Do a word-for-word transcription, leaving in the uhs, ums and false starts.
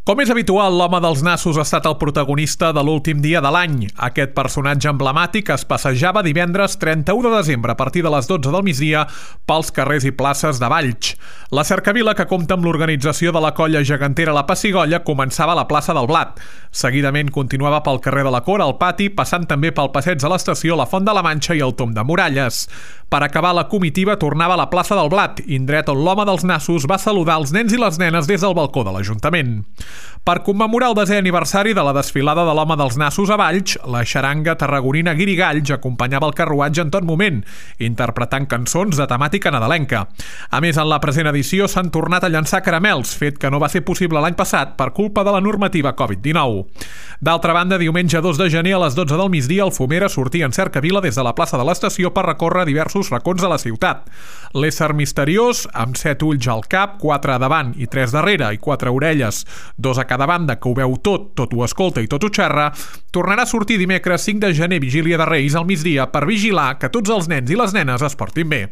Com és habitual, l'home dels nassos ha estat el protagonista de l'últim dia de l'any. Aquest personatge emblemàtic es passejava divendres trenta-u de desembre a partir de les dotze del migdia pels carrers i places de Valls. La cercavila, que compta amb l'organització de la colla gegantera La Pessigolles, començava a la plaça del Blat. Seguidament continuava pel carrer de la Cora, al Pati, passant també pel passeig de l'Estació, la Font de la Manxa i el Tom de Muralles. Per acabar, la comitiva tornava a la plaça del Blat, indret on l'home dels nassos va saludar els nens i les nenes des del balcó de l'Ajuntament. Per commemorar el desè aniversari de la desfilada de l'home dels nassos a Valls, la xaranga tarragonina Guirigalls acompanyava el carruatge en tot moment, interpretant cançons de temàtica nadalenca. A més, en la present edició s'han tornat a llançar caramels, fet que no va ser possible l'any passat per culpa de la normativa covid dinou. D'altra banda, diumenge dos de gener a les dotze del migdia, el Fumera sortia en cercavila des de la plaça de l'Estació per recórrer diversos racons de la ciutat. L'ésser misteriós, amb set ulls al cap, quatre davant i tres darrere, i quatre orelles, dos a cada banda, que ho veu tot, tot ho escolta i tot ho xerra, tornarà a sortir dimecres cinc de gener, vigília de Reis, al migdia, per vigilar que tots els nens i les nenes es portin bé.